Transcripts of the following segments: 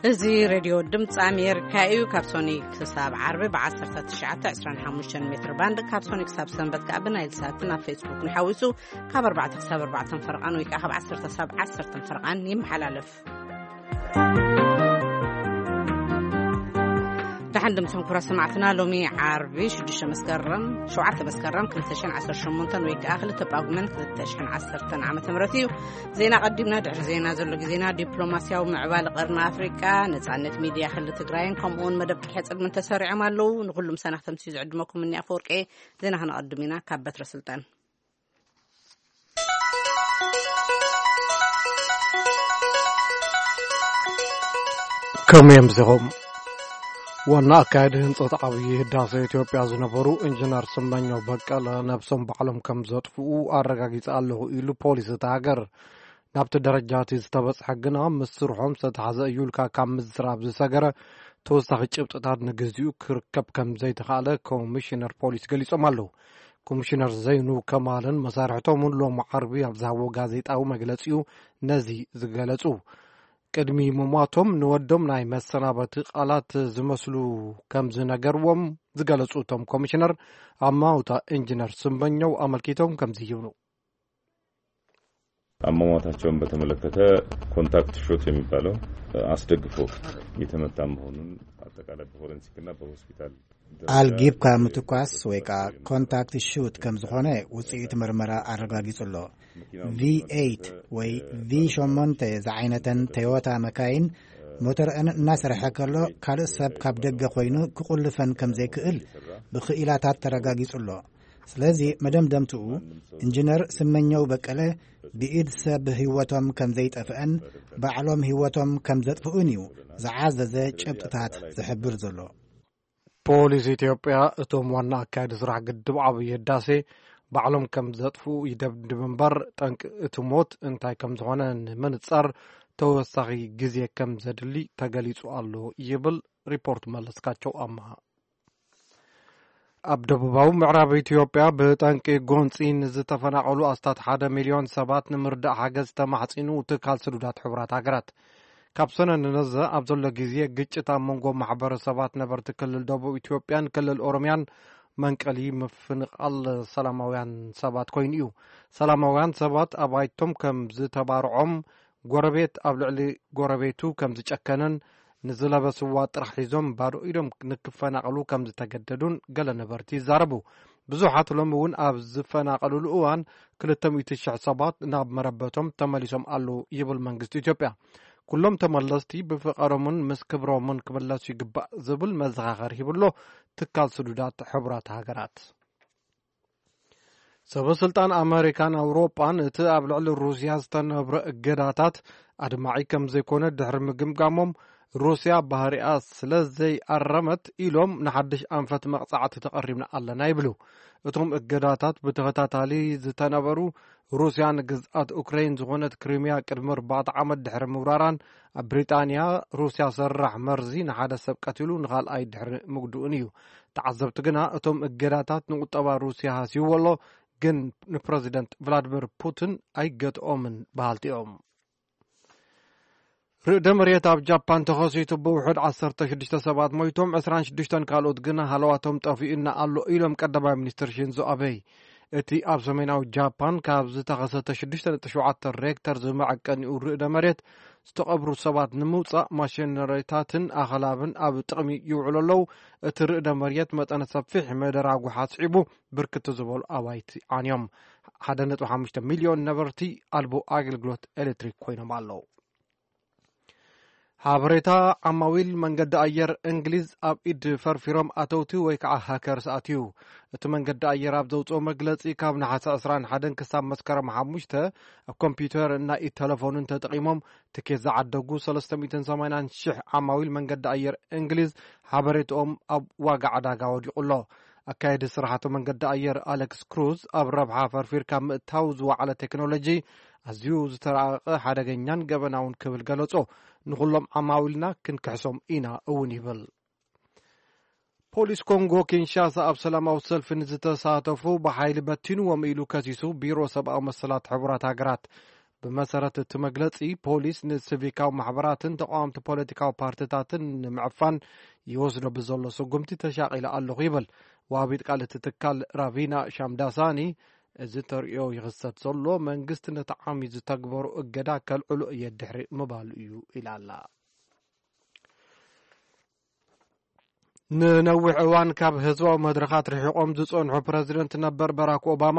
እዚ ሬድዮ ድምፂ ኣሜሪካ እዩ። ካብ ሶኒ ክሳብ ዓርቢ ብ1925 ሜትር ባንድ፣ ካብ ሶኒ ክሳብ ሰንበት ከዓ ብናይል ሳትን ኣብ ፌስቡክ ንሓዊሱ ካብ ኣርባዕተ ክሳብ ኣርባዕተ ፈርቓን ወይ ከዓ ካብ ዓሰርተ ክሳብ ዓሰርተ ፈርቓን ይመሓላለፍ። ደሓን ድምፅኹም ክቡራት ሰማዕትና። ሎሚ ዓርቢ ሽዱሽተ መስከረም፣ ሸውዓተ መስከረም ክልተ ሽሕን ዓሰርተ ሸሞንተን ወይ ከዓ ክልተ ጳጉመን ክልተ ሽሕን ዓሰርተን ዓመተ ምህረት እዩ። ዜና ቀዲምና፣ ድሕሪ ዜና ዘሎ ግዜና ዲፕሎማስያዊ ምዕባለ ቀርኒ ኣፍሪቃ፣ ነጻነት ሚድያ ክልል ትግራይን ከምኡውን መደብ ቅድሐ ጽልምን ተሰሪዖም ኣለዉ። ንኹሉም ሰናኽተምቲ ዝዕድመኩም እኒ ኣፈወርቄ። ዜና ክነቐድም ኢና ካብ በትረ ስልጣን። ከምኡ እዮም ዚኹም። ዋና ኣካያዲ ህንጸት ዓብዪ ህዳሴ ኢትዮጵያ ዝነበሩ ኢንጂነር ስመኘው በቀለ ነብሶም ባዕሎም ከም ዘጥፍኡ ኣረጋጊጸ ኣለኹ ኢሉ ፖሊስ እታ ሃገር። ናብቲ ደረጃ እቲ ዝተበጽሐ ግና ምስ ስርሖም ዝተተሓዘ እዩ ኢልካ ካብ ምዝራብ ዝሰገረ ተወሳኺ ጭብጥታት ንግዚኡ ክርከብ ከም ዘይተኻእለ ኮሚሽነር ፖሊስ ገሊጾም ኣለዉ። ኮሚሽነር ዘይኑ ከማልን መሳርሕቶምን ሎም ዓርቢ ኣብ ዝሃብዎ ጋዜጣዊ መግለጺኡ ነዚ ዝገለጹ። ቅድሚ ምሟቶም ንወዶም ናይ መሰናበቲ ቃላት ዝመስሉ ከም ዝነገርዎም ዝገለጹ እቶም ኮሚሽነር፣ ኣማውታ ኢንጂነር ስመኘው ኣመልኪቶም ከምዚ ይብሉ። አሟሟታቸውን በተመለከተ ኮንታክት ሾት የሚባለው አስደግፎ የተመታ መሆኑን አጠቃላይ በፎረንሲክና በሆስፒታል ኣልጊብካ ምትኳስ ወይ ከዓ ኮንታክት ሹት ከም ዝኾነ ውፅኢት ምርመራ ኣረጋጊጹ ኣሎ። ቪ ኤይት ወይ ቪ ሸሞንተ ዝዓይነተን ቶዮታ መካይን ሞተርአን እናሰርሐ ከሎ ካልእ ሰብ ካብ ደገ ኮይኑ ክቑልፈን ከም ዘይክእል ብክኢላታት ተረጋጊጹ ኣሎ። ስለዚ መደምደምትኡ ኢንጂነር ስመኘው በቀለ ብኢድ ሰብ ህይወቶም ከም ዘይጠፍአን ባዕሎም ህይወቶም ከም ዘጥፍኡን እዩ ዝዓዘዘ ጭብጥታት ዝሕብር ዘሎ። ፖሊስ ኢትዮጵያ እቶም ዋና ኣካያዲ ስራሕ ግድብ ዓብዪ ህዳሴ ባዕሎም ከም ዘጥፍኡ ይደብድብ እምበር ጠንቂ እቲ ሞት እንታይ ከም ዝኾነ ንምንጻር ተወሳኺ ግዜ ከም ዘድሊ ተገሊጹ ኣሎ ይብል ሪፖርት መለስካቸው ኣምሃ። ኣብ ደቡባዊ ምዕራብ ኢትዮጵያ ብጠንቂ ጎንፂ ንዝተፈናቐሉ ኣስታት ሓደ ሚልዮን ሰባት ንምርዳእ ሓገዝ ተማሕፂኑ ትካል ስዱዳት ሕቡራት ሃገራት። ካብ ሰነ ንነዘ ኣብ ዘሎ ግዜ ግጭት ኣብ መንጎ ማሕበረሰባት ነበርቲ ክልል ደቡብ ኢትዮጵያን ክልል ኦሮምያን መንቀሊ ምፍንቓል ሰላማውያን ሰባት ኮይኑ እዩ። ሰላማውያን ሰባት ኣባይቶም ከም ዝተባርዖም፣ ጎረቤት ኣብ ልዕሊ ጎረቤቱ ከም ዝጨከነን ንዝለበስዋ ጥራሕ ሒዞም ባዶ ኢዶም ንክፈናቐሉ ከም ዝተገደዱን ገለ ነበርቲ ይዛረቡ። ብዙሓት ሎሚ እውን ኣብ ዝፈናቐሉሉ እዋን ክልተ ሚእቲ ሽሕ ሰባት ናብ መረበቶም ተመሊሶም ኣለዉ ይብል መንግስቲ ኢትዮጵያ። ኩሎም ተመለስቲ ብፍቐሮምን ምስ ክብሮምን ክምለሱ ይግባእ ዝብል መዘኻኸሪ ሂብሎ ትካል ስዱዳት ሕቡራት ሃገራት። ሰበ ስልጣን ኣመሪካን ኣውሮጳን እቲ ኣብ ልዕሊ ሩስያ ዝተነብረ እገዳታት ኣድማዒ ከም ዘይኮነ ድሕሪ ምግምጋሞም፣ ሩስያ ባህሪኣ ስለ ዘይኣረመት ኢሎም ንሓድሽ ኣንፈት መቕጻዕቲ ተቐሪብና ኣለና ይብሉ። እቶም እገዳታት ብተኸታታሊ ዝተነበሩ፣ ሩስያ ንግዝኣት ኡክረይን ዝኾነት ክሪሚያ ቅድሚ ኣርባዕተ ዓመት ድሕሪ ምውራራን ኣብ ብሪጣንያ ሩስያ ሰራሕ መርዚ ንሓደ ሰብ ቀቲሉ ንኻልኣይ ድሕሪ ምግድኡን እዩ። ተዓዘብቲ ግና እቶም እገዳታት ንቁጠባ ሩስያ ሃስይዎ ኣሎ፣ ግን ንፕረዚደንት ቭላድሚር ፑቲን ኣይገትኦምን በሃልቲ እዮም። ርእደ መሬት ኣብ ጃፓን ተኸሲቱ ብውሑድ ዓሰርተ ሽዱሽተ ሰባት ሞይቶም፣ ዕስራን ሽዱሽተን ካልኦት ግና ሃለዋቶም ጠፊኡና ኣሎ ኢሎም ቀዳማይ ሚኒስትር ሺንዞ ኣበይ። እቲ ኣብ ሰሜናዊ ጃፓን ካብ ዝተኸሰተ ሽዱሽተ ነጥቢ ሸውዓተ ሬክተር ዝመዐቀኒኡ ርእደ መሬት ዝተቐብሩ ሰባት ንምውጻእ ማሽነሪታትን ኣኸላብን ኣብ ጥቕሚ ይውዕሉ ኣለዉ። እቲ ርእደ መሬት መጠነ ሰፊሕ መደራጉሕ ኣስዒቡ ብርክት ዝበሉ ኣባይቲ ዓንዮም። ሓደ ነጥቢ ሓሙሽተ ሚልዮን ነበርቲ ኣልቦ ኣገልግሎት ኤሌክትሪክ ኮይኖም ኣለዉ። ሓበሬታ ዓማዊል መንገዲ ኣየር እንግሊዝ ኣብ ኢድ ፈርፊሮም ኣተውቲ ወይ ከዓ ሃከርስ ኣትዩ። እቲ መንገዲ ኣየር ኣብ ዘውፅኦ መግለፂ ካብ ነሓሰ ዕስራን ሓደን ክሳብ መስከረም ሓሙሽተ ኣብ ኮምፒውተር እና ኢድ ተለፎንን ተጠቒሞም ትኬት ዝዓደጉ ሰለስተ ሚእትን ሰማንያን ሽሕ ዓማዊል መንገዲ ኣየር እንግሊዝ ሓበሬትኦም ኣብ ዋጋ ዕዳጋ ወዲቑ ኣሎ። ኣካየዲ ስራሕቲ መንገዲ ኣየር ኣሌክስ ክሩዝ ኣብ ረብሓ ፈርፊርካ ምእታው ዝወዓለ ቴክኖሎጂ ኣዝዩ ዝተራቐቐ ሓደገኛን ገበናውን ክብል ገለጾ። ንኹሎም ዓማዊልና ክንክሕሶም ኢና እውን ይብል። ፖሊስ ኮንጎ ኪንሻሳ ኣብ ሰላማዊ ሰልፊ ንዝተሳተፉ ብሓይሊ በቲንዎም ኢሉ ከሲሱ ቢሮ ሰብኣዊ መሰላት ሕቡራት ሃገራት። ብመሰረት እቲ መግለጺ፣ ፖሊስ ንሲቪካዊ ማሕበራትን ተቃወምቲ ፖለቲካዊ ፓርቲታትን ንምዕፋን ይወስዶ ብዘሎ ስጉምቲ ተሻቒለ ኣለኹ ይብል። ዋቢት ቃል እቲ ትካል ራቪና ሻምዳሳኒ፣ እዚ ተርእዮ ይኽሰት ዘሎ መንግስቲ ነቲ ዓሚ ዝተግበሩ እገዳ ከልዕሎ እየ ድሕሪ ምባሉ እዩ ኢላ ኣላ። ንነዊሕ እዋን ካብ ህዝባዊ መድረኻት ርሒቖም ዝጸንሑ ፕረዚደንት ነበር ባራክ ኦባማ፣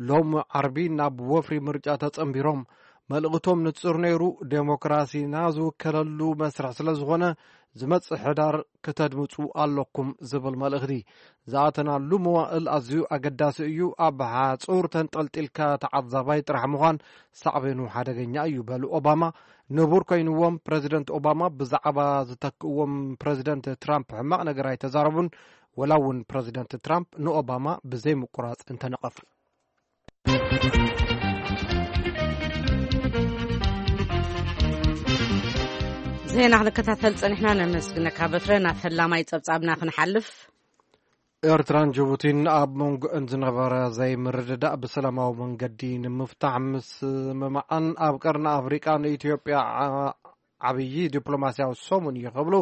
ሎም ዓርቢ ናብ ወፍሪ ምርጫ ተጸንቢሮም። መልእኽቶም ንጹር ነይሩ፣ ዴሞክራሲና ዝውከለሉ መስርሕ ስለ ዝኾነ፣ ዝመጽእ ሕዳር ክተድምጹ ኣለኩም ዝብል መልእኽቲ። ዝኣተናሉ መዋእል ኣዝዩ ኣገዳሲ እዩ፣ ኣብ ሓጹር ተንጠልጢልካ ተዓዛባይ ጥራሕ ምዃን ሳዕቤኑ ሓደገኛ እዩ በሉ ኦባማ። ንቡር ኮይንዎም ፕረዚደንት ኦባማ ብዛዕባ ዝተክእዎም ፕረዚደንት ትራምፕ ሕማቕ ነገር ኣይተዛረቡን፣ ወላ እውን ፕረዚደንት ትራምፕ ንኦባማ ብዘይ ምቁራጽ እንተነቐፉ። ዜና ክንከታተል ጸኒሕና፣ ነመስግነካ በትረ። ናብ ፈላማይ ጸብጻብና ክንሓልፍ። ኤርትራን ጅቡቲን ኣብ መንጎአን ዝነበረ ዘይምርድዳእ ብሰላማዊ መንገዲ ንምፍታሕ ምስምማዓን ኣብ ቀርኒ ኣፍሪቃ ንኢትዮጵያ ዓ- ዓብዪ ዲፕሎማስያዊ ሰሙን እዩ ክብሉ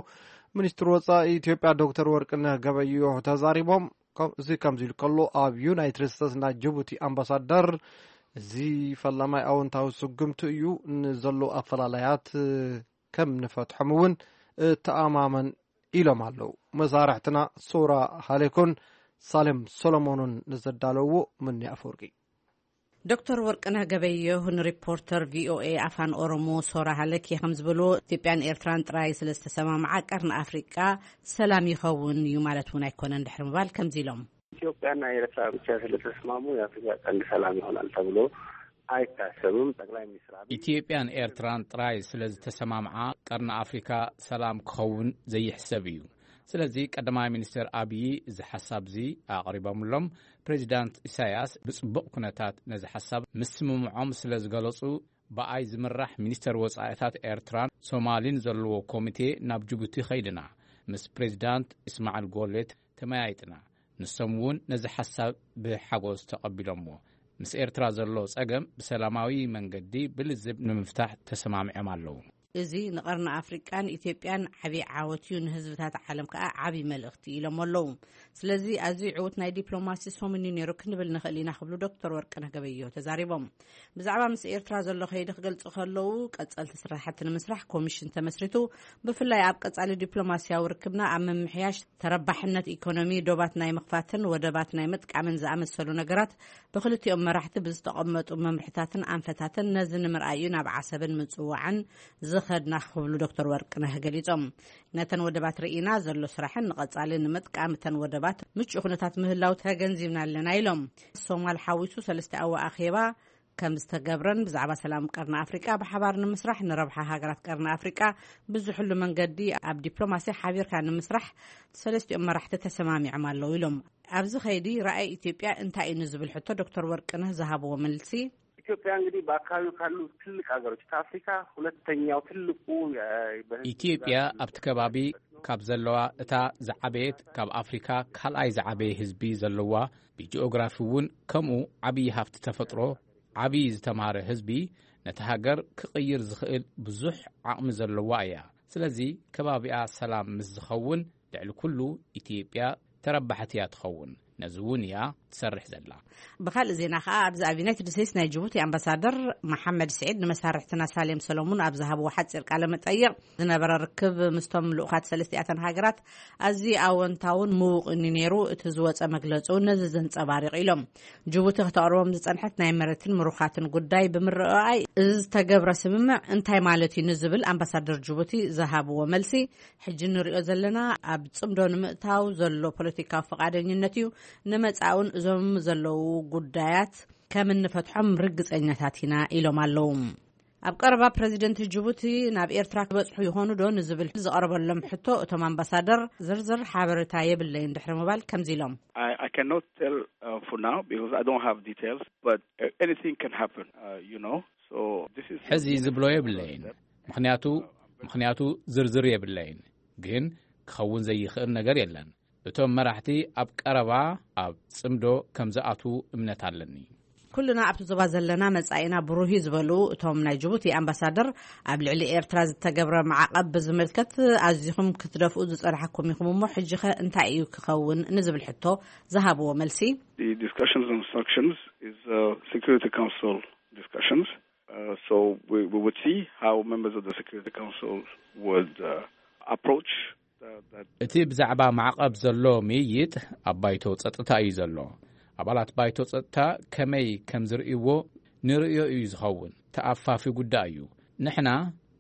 ሚኒስትር ወጻኢ ኢትዮጵያ ዶክተር ወርቅነህ ገበየሁ ተዛሪቦም። ከም- እዚ ከምዚ ኢሉ ከሎ፣ ኣብ ዩናይትድ ስቴትስ ናይ ጅቡቲ ኣምባሳደር፣ እዚ ፈላማይ ኣወንታዊ ስጉምቲ እዩ፣ ንዘለዉ ኣፈላላያት ከም ንፈትሖም እውን እተኣማመን ኢሎም ኣለዉ። መሳርሕትና ሶራ ሃሌኮን ሳሌም ሶሎሞንን ንዘዳለውዎ ምኒ ኣፈወርቂ። ዶክተር ወርቅነህ ገበየሁ ንሪፖርተር ቪኦኤ ኣፋን ኦሮሞ ሶራ ሃለኬ ከም ዝበልዎ፣ ኢትዮጵያን ኤርትራን ጥራይ ስለ ዝተሰማምዓ ቀርኒ ኣፍሪቃ ሰላም ይኸውን እዩ ማለት እውን ኣይኮነን ድሕሪ ምባል ከምዚ ኢሎም። ኢትዮጵያና ኤርትራ ብቻ ስለተስማሙ የአፍሪካ ቀንድ ሰላም ይሆናል ተብሎ አይታሰብም። ጠቅላይ ሚኒስትር አብይ ኢትዮጵያን ኤርትራን ጥራይ ስለ ዝተሰማምዓ ቀርኒ ኣፍሪካ ሰላም ክኸውን ዘይሕሰብ እዩ። ስለዚ ቀዳማይ ሚኒስትር ኣብዪ እዚ ሓሳብ እዚ ኣቕሪቦምሎም። ፕሬዚዳንት ኢሳያስ ብጽቡቕ ኩነታት ነዚ ሓሳብ ምስምምዖም ስለ ዝገለጹ፣ ብኣይ ዝምራሕ ሚኒስተር ወጻኢታት ኤርትራን ሶማሊን ዘለዎ ኮሚቴ ናብ ጅቡቲ ኸይድና ምስ ፕሬዚዳንት እስማዕል ጎሌት ተመያይጥና። ንሶም እውን ነዚ ሓሳብ ብሓጎስ ተቐቢሎምዎ። ምስ ኤርትራ ዘሎ ጸገም ብሰላማዊ መንገዲ ብልዝብ ንምፍታሕ ተሰማሚዖም ኣለዉ። እዚ ንቐርኒ ኣፍሪቃን ኢትዮጵያን ዓቢ ዓወት እዩ፣ ንህዝብታት ዓለም ከኣ ዓቢ መልእኽቲ ኢሎም ኣለዉ። ስለዚ ኣዝዩ ዕዉት ናይ ዲፕሎማሲ ሰሙን እዩ ነይሩ ክንብል ንኽእል ኢና ክብሉ ዶክተር ወርቅነህ ገበየሁ ተዛሪቦም። ብዛዕባ ምስ ኤርትራ ዘሎ ከይዲ ክገልጹ ከለዉ፣ ቀጸልቲ ስራሕቲ ንምስራሕ ኮሚሽን ተመስሪቱ፣ ብፍላይ ኣብ ቀጻሊ ዲፕሎማስያዊ ርክብና ኣብ ምምሕያሽ፣ ተረባሕነት ኢኮኖሚ ዶባት ናይ ምኽፋትን ወደባት ናይ ምጥቃምን ዝኣመሰሉ ነገራት ብክልቲኦም መራሕቲ ብዝተቐመጡ መምርሕታትን ኣንፈታትን ነዚ ንምርኣይ እዩ ናብ ዓሰብን ምጽዋዕን ዝኸድና ክብሉ ዶክተር ወርቅነህ ገሊጾም። ነተን ወደባት ርኢና ዘሎ ስራሕን ንቐጻሊ ንምጥቃም እተን ወደባት ምቹእ ኩነታት ምህላው ተገንዚብና ኣለና ኢሎም። ሶማል ሓዊሱ ሰለስቲኣዊ ኣኼባ ከም ዝተገብረን ብዛዕባ ሰላም ቀርኒ ኣፍሪቃ ብሓባር ንምስራሕ ንረብሓ ሃገራት ቀርኒ ኣፍሪቃ ብዝሕሉ መንገዲ ኣብ ዲፕሎማሲ ሓቢርካ ንምስራሕ ሰለስቲኦም መራሕቲ ተሰማሚዖም ኣለዉ ኢሎም። ኣብዚ ኸይዲ ራእይ ኢትዮጵያ እንታይ እዩ ንዝብል ሕቶ ዶክተር ወርቅነህ ዝሃብዎ መልሲ። ኢትዮጵያ እንግዲህ በአካባቢው ካሉ ትልቅ ሀገሮች ከአፍሪካ ሁለተኛው ትልቁ የ- በህዝብ ኢትዮጵያ ብዛት ኣብቲ ከባቢ ካብ ዘለዋ እታ ዝዓበየት፣ ካብ ኣፍሪካ ካልኣይ ዝዓበየ ህዝቢ ዘለዋ፣ ብጂኦግራፊ እውን ከምኡ ዓብዪ ሃፍቲ ተፈጥሮ፣ ዓብዪ ዝተማረ ህዝቢ፣ ነቲ ሃገር ክቕይር ዝኽእል ብዙሕ ዓቕሚ ዘለዋ እያ። ስለዚ ከባቢኣ ሰላም ምስ ዝኸውን፣ ልዕሊ ኩሉ ኢትዮጵያ ተረባሕቲ እያ ትኸውን። ነዚ እውን እያ ትሰርሕ ዘላ። ብኻልእ ዜና ከኣ፣ ኣብዚ ኣብ ዩናይትድ ስቴትስ ናይ ጅቡቲ ኣምባሳደር መሓመድ ስዒድ ንመሳርሕትና ሳሌም ሰሎሙን ኣብ ዝሃብዎ ሓጺር ቃለ መጠይቕ፣ ዝነበረ ርክብ ምስቶም ልኡኻት ሰለስቲኣተን ሃገራት ኣዝዩ ኣወንታውን ምዉቕን እዩ ነይሩ። እቲ ዝወጸ መግለጺ እውን ነዚ ዘንጸባርቕ ኢሎም። ጅቡቲ ከተቕርቦም ዝጸንሐት ናይ መሬትን ምሩኻትን ጉዳይ ብምርኣይ፣ እዚ ዝተገብረ ስምምዕ እንታይ ማለት እዩ ንዝብል ኣምባሳደር ጅቡቲ ዝሃብዎ መልሲ፣ ሕጂ ንሪኦ ዘለና ኣብ ጽምዶ ንምእታው ዘሎ ፖለቲካዊ ፈቓደኝነት እዩ። ንመጻእውን እዞም ዘለዉ ጉዳያት ከም እንፈትሖም ርግጸኛታት ኢና ኢሎም ኣለዉ። ኣብ ቀረባ ፕረዚደንት ጅቡቲ ናብ ኤርትራ ክበጽሑ ይኾኑ ዶ ንዝብል ዝቐረበሎም ሕቶ፣ እቶም ኣምባሳደር ዝርዝር ሓበሬታ የብለይን ድሕሪ ምባል ከምዚ ኢሎም። I, I cannot tell uh, for now because I don't have details, but uh, anything can happen, uh, you know. So this is ሕዚ ዝብሎ የብለይን፣ ምኽንያቱ ምኽንያቱ ዝርዝር የብለይን፣ ግን ክኸውን ዘይኽእል ነገር የለን። እቶም መራሕቲ ኣብ ቀረባ ኣብ ጽምዶ ከም ዝኣትዉ እምነት ኣለኒ። ኩልና ኣብቲ ዞባ ዘለና መጻኢና ብሩህ እዩ ዝበሉ እቶም ናይ ጅቡቲ ኣምባሳደር፣ ኣብ ልዕሊ ኤርትራ ዝተገብረ ማዕቐብ ብዝምልከት ኣዚኹም ክትደፍኡ ዝጸናሕኩም ኢኹም እሞ፣ ሕጂ ኸ እንታይ እዩ ክኸውን ንዝብል ሕቶ ዝሃብዎ መልሲ፣ The discussions and instructions is uh, Security Council discussions. Uh, so we, we would see how members of the Security Council would uh, approach uh, that. እቲ ብዛዕባ ማዕቐብ ዘሎ ምይይጥ ኣብ ባይቶ ጸጥታ እዩ ዘሎ። ኣባላት ባይቶ ጸጥታ ከመይ ከም ዝርእይዎ ንርእዮ እዩ ዝኸውን። ተኣፋፊ ጉዳይ እዩ። ንሕና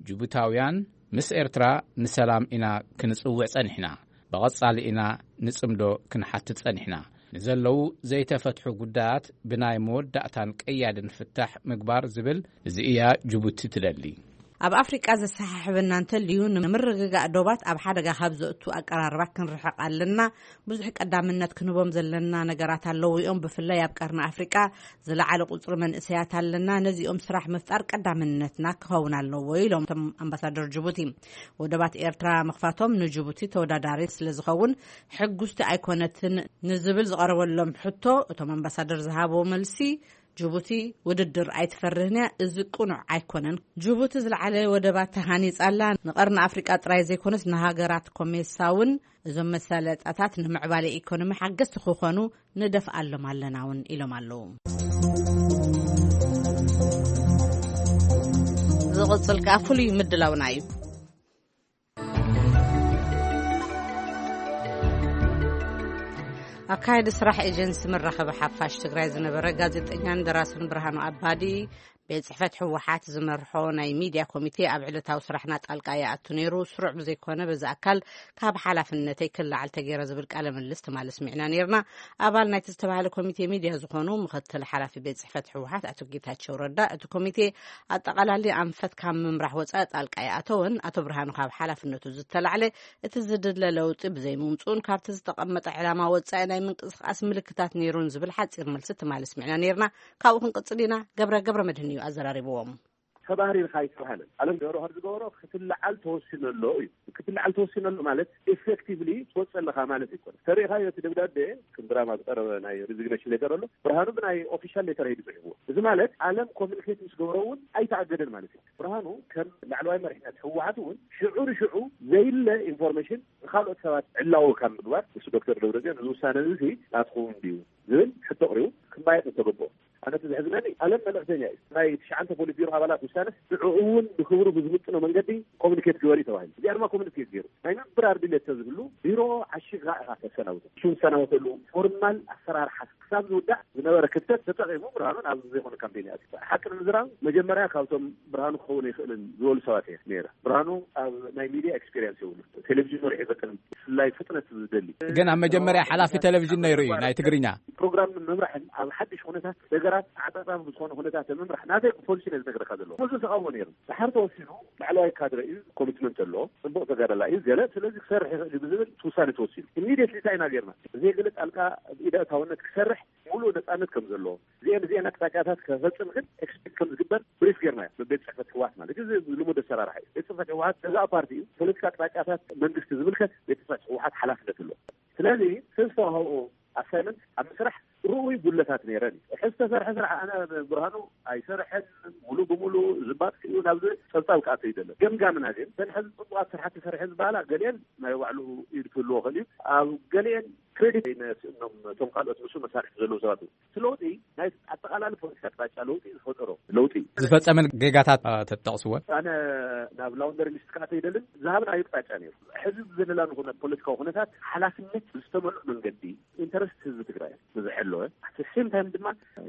ጅቡታውያን ምስ ኤርትራ ንሰላም ኢና ክንጽውዕ ጸኒሕና። ብቐጻሊ ኢና ንጽምዶ ክንሓትት ጸኒሕና። ንዘለዉ ዘይተፈትሑ ጉዳያት ብናይ መወዳእታን ቀያድን ፍታሕ ምግባር ዝብል፣ እዚ እያ ጅቡቲ ትደሊ። ኣብ ኣፍሪቃ ዘሰሓሕበና እንተልዩ፣ ንምርግጋእ ዶባት ኣብ ሓደጋ ካብ ዘእቱ ኣቀራርባ ክንርሕቕ ኣለና። ብዙሕ ቀዳምነት ክንህቦም ዘለና ነገራት ኣለዉ እዮም። ብፍላይ ኣብ ቀርኒ ኣፍሪቃ ዝለዓለ ቁጽሪ መንእሰያት ኣለና። ነዚኦም ስራሕ ምፍጣር ቀዳምነትና ክኸውን ኣለዎ ኢሎም እቶም ኣምባሳደር ጅቡቲ። ወደባት ኤርትራ ምኽፋቶም ንጅቡቲ ተወዳዳሪ ስለ ዝኸውን ሕጉስቲ ኣይኮነትን ንዝብል ዝቐረበሎም ሕቶ፣ እቶም ኣምባሳደር ዝሃብዎ መልሲ፣ ጅቡቲ ውድድር ኣይትፈርህን እያ፣ እዚ ቅኑዕ ኣይኮነን። ጅቡቲ ዝለዓለ ወደባት ተሃኒጻ ኣላ። ንቐርኒ ኣፍሪቃ ጥራይ ዘይኮነስ ንሃገራት ኮሜሳ እውን እዞም መሳለጣታት ንምዕባለ ኢኮኖሚ ሓገዝቲ ክኾኑ ንደፍኣሎም ኣለና እውን ኢሎም ኣለዉ። ዝቕጽል ከኣ ፍሉይ ምድላውና እዩ። ኣካያዲ ስራሕ ኤጀንሲ መራኸቢ ሓፋሽ ትግራይ ዝነበረ ጋዜጠኛን ደራስን ብርሃኑ ኣባዲ፣ ቤት ጽሕፈት ህወሓት ዝመርሖ ናይ ሚድያ ኮሚቴ ኣብ ዕለታዊ ስራሕና ጣልቃ ይኣቱ ነይሩ፣ ስሩዕ ብዘይኮነ በዚ ኣካል ካብ ሓላፍነተይ ክለዓል ተገይረ ዝብል ቃለ ምልልስ ትማሊ ኣስሚዕና ነይርና። ኣባል ናይቲ ዝተባህለ ኮሚቴ ሚድያ ዝኾኑ ምኽትል ሓላፊ ቤት ጽሕፈት ህወሓት ኣቶ ጌታቸው ረዳ፣ እቲ ኮሚቴ ኣጠቓላሊ ኣንፈት ካብ ምምራሕ ወጻኢ ጣልቃ ይኣተወን፣ ኣቶ ብርሃኑ ካብ ሓላፍነቱ ዝተላዕለ እቲ ዝድለ ለውጢ ብዘይምምፅኡን ካብቲ ዝተቐመጠ ዕላማ ወፃኢ ናይ ምንቅስቃስ ምልክታት ነይሩን ዝብል ሓፂር መልሲ ትማሊ ኣስሚዕና ነይርና። ካብኡ ክንቅፅል ኢና። ገብረ ገብረ መድህን እዩ ኣዘራሪብዎም። ተባህሪርካ ኣይተባህለን። ኣለም ገብረ ዝገበሮ ክትለዓል ተወሲኑ ኣሎ እዩ። ክትለዓል ተወሲኑ ኣሎ ማለት ኤፌክቲቭሊ ትወፅእ ኣለኻ ማለት ኣይኮነን። ተሪእኻዮ እቲ ደብዳቤ ከም ድራማ ዝቀረበ ናይ ሪዚግኔሽን ሌተር ኣሎ። ብርሃኑ ብናይ ኦፊሻል ሌተር እዩ ዝፅሕፍዎ። እዚ ማለት ኣለም ኮሚኒኬት ምስ ገበሮ እውን ኣይተኣገደን ማለት እዩ። ብርሃኑ ከም ላዕለዋይ መሪሕነት ህወሓት እውን ሽዑ ንሽዑ ዘይለ ኢንፎርሜሽን ንካልኦት ሰባት ዕላዊ ካብ ምግባር፣ ንሱ ዶክተር ደብረፅዮን እዚ ውሳነ እዚ ናትኩም ድዩ ዝብል ሕቶ ኣቕሪቡ ክማየጥ ዝተገብኦ። ኣነ እቲ ዘሕዝነኒ ኣለም መልእኽተኛ እዩ። ናይ ትሽዓተ ፖሊት ቢሮ ኣባላት ውሳነስ ንዕኡ እውን ብክብሩ ብዝምጥኖ መንገዲ ኮሚኒኬት ግበር እዩ ተባሂሉ። እዚኣ ድማ ኮሚኒኬት ገይሩ። ናይ ምብራር ድሌት ተዝህሉ ቢሮ ዓሺኻ ኢኻ ተሰናብቶ። እሱ ዝሰናበተሉ ፎርማል ኣሰራርሓ ክሳብ ዝውዳእ ዝነበረ ክፍተት ተጠቒሙ ብርሃኑ ናብ ዘይኮነ ካምፔን ይኣቱ። ሓቂ ንምዝራብ መጀመርያ ካብቶም ብርሃኑ ክኸውን ኣይኽእልን ዝበሉ ሰባት እየ ነይረ። ብርሃኑ ኣብ ናይ ሚድያ ኤክስፔሪንስ የብሉ። ቴሌቪዥን ወርሒ ፈጠን ብፍላይ ፍጥነት ዝደሊ። ግን ኣብ መጀመርያ ሓላፊ ቴሌቪዥን ነይሩ እዩ፣ ናይ ትግርኛ። ፕሮግራም ምምራሕን ኣብ ሓድሽ ኩነታት ነገራት ኣዕጻጻፊ ብዝኾነ ኩነታት ምምራሕ ናተይ ፖሊሲ ነዚ ነገርካ ዘለዎ ብዙ ተቃውሞ ነይሩ። ድሓር ተወሲኑ ላዕለዋይ ካድረ እዩ፣ ኮሚትመንት ኣለዎ፣ ጽቡቕ ተጋዳላይ እዩ፣ ገለ ስለዚ ክሰርሕ ይኽእል እዩ ብዝብል ውሳነ ተወሲኑ። ኢሚዲየትሊ እንታይ ኢና ጌርና? ዘይገለ ጣልቃ ኢደ ኣእታውነት ክሰርሕ ሙሉእ ነጻነት ከም ዘለዎ፣ እዚአን እዚአን ኣቅጣጫታት ከፈጽም ግን ኤክስፔክት ከም ዝግበር ብሪፍ ጌርና እዩ። ቤት ጽሕፈት ህወሓት ማለት እዚ ልሙድ ኣሰራርሓ እዩ። ቤት ጽሕፈት ህወሓት ገዛእ ፓርቲ እዩ። ፖለቲካ ኣቅጣጫታት መንግስቲ ዝምልከት ቤት ጽሕፈት ህወሓት ሓላፍነት ኣለዎ። ስለዚ ዝተዋህቦ ኣሳይመንት ኣብ ምስራሕ ርኡይ ጉለታት ነይረን እዩ። ሕዚ ዝተሰርሐ ስራሕ ኣነ ብርሃኑ ኣይሰርሐን፣ ሙሉ ብሙሉ ዝባጥ እዩ፣ ናብዚ ጸብጻብ ክኣቶ ይደለ። ገምጋምና ግን እተን ሕዚ ጽቡቓት ስራሕቲ ሰርሐ ዝበሃላ ገሊአን ናይ ባዕሉ ኢድ ክህልዎ ክእል እዩ። ኣብ ገሊአን ክሬዲት ነስእኖም እቶም ካልኦት ንሱ መሳርሕቲ ዘለዉ ሰባት እዩ። እቲ ለውጢ ናይ ኣጠቓላሊ ፖለቲካ ኣቅጣጫ ለውጢ ዝፈጠሮ ለውጢ እዩ። ዝፈጸመን ጌጋታት፣ እ፣ ተጠቕስወን? ኣነ ናብ ላውንደሪ ሊስት ክኣቶ ይደልን ዝሃብናዮ ኣቅጣጫ ነይሩ። ሕዚ ዘለናሉ ኩነ-፣ ፖለቲካዊ ኩነታት ሓላፍነት ብዝተመልኦ መንገዲ ኢንተረስት ህዝቢ ትግራይ ብዝሐለወ፣ ኣት ሴም ታይም ድማ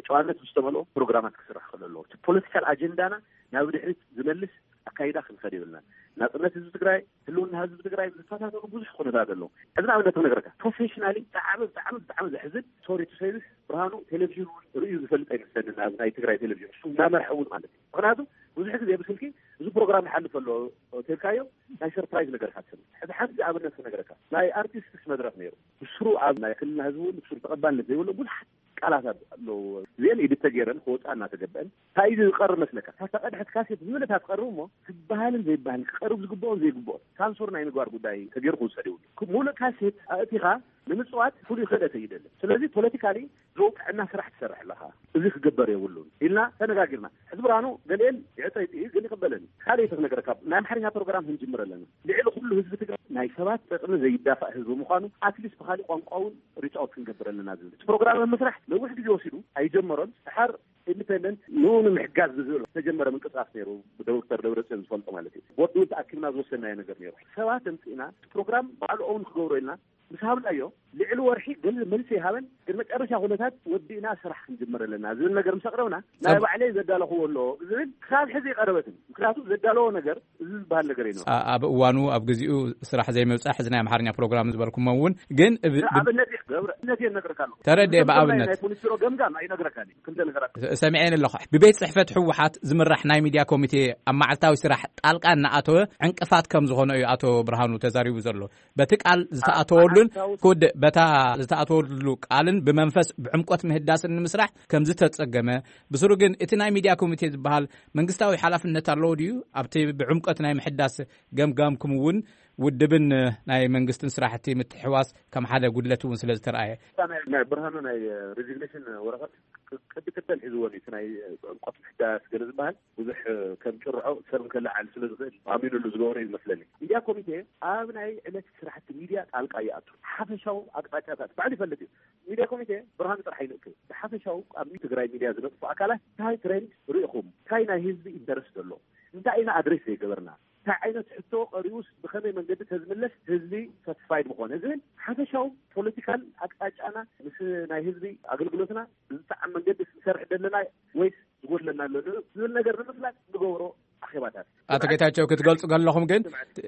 ጨዋነት ብዝተመልኦ ፕሮግራማት ክስራሕ ክእል ኣለዎ። እቲ ፖለቲካል ኣጀንዳና ናብ ድሕሪት ዝመልስ ኣካይዳ ክንኸድ የብልና። ናጽነት ህዝቢ ትግራይ፣ ህልውና ህዝቢ ትግራይ ዝፈታተኑ ብዙሕ ኩነታት ኣለዉ። ሕዚ ንኣብነት ክነግረካ፣ ፕሮፌሽናሊ ብጣዕሚ፣ ብጣዕሚ፣ ብጣዕሚ ዘሕዝን፣ ሶሪ ቱ ሴይ ዚስ፣ ብርሃኑ ቴሌቪዥን እውን ርእዩ ዝፈልጥ ኣይመስለንን፣ ኣብ ናይ ትግራይ ቴሌቪዥን እሱ እናመርሐ እውን ማለት እዩ። ምክንያቱ ብዙሕ ግዜ ብስልኪ እዚ ፕሮግራም ይሓልፍ ኣሎ ተልካዮ ናይ ሰርፕራይዝ ነገር ሓሰብ። ሕዚ ሓንቲ ኣብነት ክነግረካ፣ ናይ ኣርቲስትስ መድረክ ነይሩ። ብስሩ ኣብ ናይ ክልልና ህዝቢ እውን ብስሩ ተቐባልነት ዘይብሎ ብዙሓት ቃላት ኣለዎ። እዚአን ኢዲት ተገይረን ክወፃ እናተገበአን እንታይ እዩ ዝቀርብ መስለካ? እታ ቀድሐት ካሴት ዝብለታ ትቀርብ እሞ ዝበሃልን ዘይበሃልን ክቀርብ ዝግብኦን ዘይግብኦን ሳንሱር ናይ ምግባር ጉዳይ ተገይሩ ክውሰድ ይብሉ። ሙሉእ ካሴት ኣእቲኻ ንምፅዋት ፍሉይ ክእለት እዩ ይደሊ። ስለዚ ፖለቲካሊ ዘውቅዕና ስራሕ ትሰርሕ ኣለኻ፣ እዚ ክግበር የብሉን ኢልና ተነጋጊርና። ሕዚ ብርሃኑ ገሊኤን ይዕፀ ይጥኢ ግን ይቕበለኒ። ካልእ ተነገረካ፣ ናይ ኣምሓርኛ ፕሮግራም ክንጅምር ኣለና። ልዕሊ ኩሉ ህዝቢ ትግራይ ናይ ሰባት ጥቕሚ ዘይዳፋእ ህዝቢ ምዃኑ ኣትሊስት ብኻሊእ ቋንቋ እውን ሪች ኣውት ክንገብር ኣለና ዝብል እቲ ፕሮግራም ኣብ ምስራሕ ነዊሕ ግዜ ወሲዱ ኣይጀመሮን። ድሓር ኢንዲፔንደንት ንኡ ንምሕጋዝ ብዝብል ዝተጀመረ ምንቅስቃስ ነይሩ፣ ብዶክተር ደብረፅዮን ዝፈልጦ ማለት እዩ። ቦርድ እውን ተኣኪብና ዝወሰናዮ ነገር ነይሩ። ሰባት ኣምፂእና እቲ ፕሮግራም ባዕሉ ኦውን ክገብሮ ኢልና ምስ ሃብናዮ፣ ልዕሊ ወርሒ ገለ መልሲ ይሃበን፣ ግን መጨረሻ ኩነታት ወዲእና ስራሕ ክንጅምር ኣለና ዝብል ነገር ምስ ኣቕረብና፣ ናይ ባዕለይ ዘዳለኽዎ ኣሎ ዝብል ክሳብ ሕዚ ይቐረበትን። ምክንያቱ ዘዳለዎ ነገር እዚ ዝበሃል ነገር እዩ። ኣ- ኣብ እዋኑ ኣብ ግዚኡ ስራሕ ዘይምብጻሕ እዚ ናይ ኣምሓርኛ ፕሮግራም ዝበልኩሞ እውን ግን ብ- ብ- ኣብነት እዩ ገብረ፣ ኣብነት እየ እነግረካ ኣለኹ። ተረድኤ። ብኣብነት ናይ ፖሊስ ቢሮ ገምጋም ኣይነግረካን እዩ። ክልተ ነገራት ሰሚዐን ኣለኹ። ብቤት ጽሕፈት ህወሓት ዝምራሕ ናይ ሚድያ ኮሚቴ ኣብ መዓልታዊ ስራሕ ጣልቃ እናኣተወ ዕንቅፋት ከም ዝኾነ እዩ ኣቶ ብርሃኑ ተዛሪቡ ዘሎ። በቲ ቃል ዝተኣተወሉን ክውድእ በታ ዝተኣተወሉ ቃልን ብመንፈስ ብዕምቆት ምህዳስን ንምስራሕ ከም ዝተጸገመ፣ ብስሩ ግን እቲ ናይ ሚድያ ኮሚቴ ዝበሃል መንግስታዊ ሓላፍነት ኣለዎ ድዩ ኣብቲ ብዕምቆት ናይ ምሕዳስ ገምጋምኩም እውን ውድብን ናይ መንግስትን ስራሕቲ ምትሕዋስ ከም ሓደ ጉድለት እውን ስለ ዝተረኣየ? ናይ ብርሃኑ ናይ ሬዚግኔሽን ወረቐት ቅዲ ክተል ሒዝዎ እዩ። እቲ ናይ ዕምቆት ምሕዳስ ገለ ዝበሃል ብዙሕ ከም ጭርዖ ሰብ ከለዓል ስለ ዝኽእል ኣሚኑሉ ዝገበሮ እዩ ዝመስለኒ። ሚድያ ኮሚቴ ኣብ ናይ ዕለት ስራሕቲ ሚድያ ጣልቃ ይኣቱ። ሓፈሻዊ ኣቅጣጫታት ባዕሉ ይፈልጥ እዩ። ሚድያ ኮሚቴ ብርሃኑ ጥራሕ ይንእክብ። ብሓፈሻዊ ኣብ ትግራይ ሚድያ ዝነጥፉ ኣካላት እንታይ ትሬንድ ርኢኹም፣ እንታይ ናይ ህዝቢ ኢንተረስት ዘሎ፣ እንታይ ኢና ኣድሬስ ዘይገበርና፣ እንታይ ዓይነት ሕቶ ቀሪቡስ ብኸመይ መንገዲ ተዝምለስ ህዝቢ ሳቲስፋይድ ምኾነ ዝብል ሓፈሻዊ ፖለቲካል ኣቅጣጫና ምስ ናይ ህዝቢ ኣገልግሎትና ብዝጠዓም መንገዲ ክንሰርሕ ዘለና ወይስ ዝጎድለና ኣሎ ዝብል ነገር ንምፍላጥ ዝገብሮ ኣኼባታት። ኣቶ ጌታቸው፣ ክትገልጹ ከለኹም ግን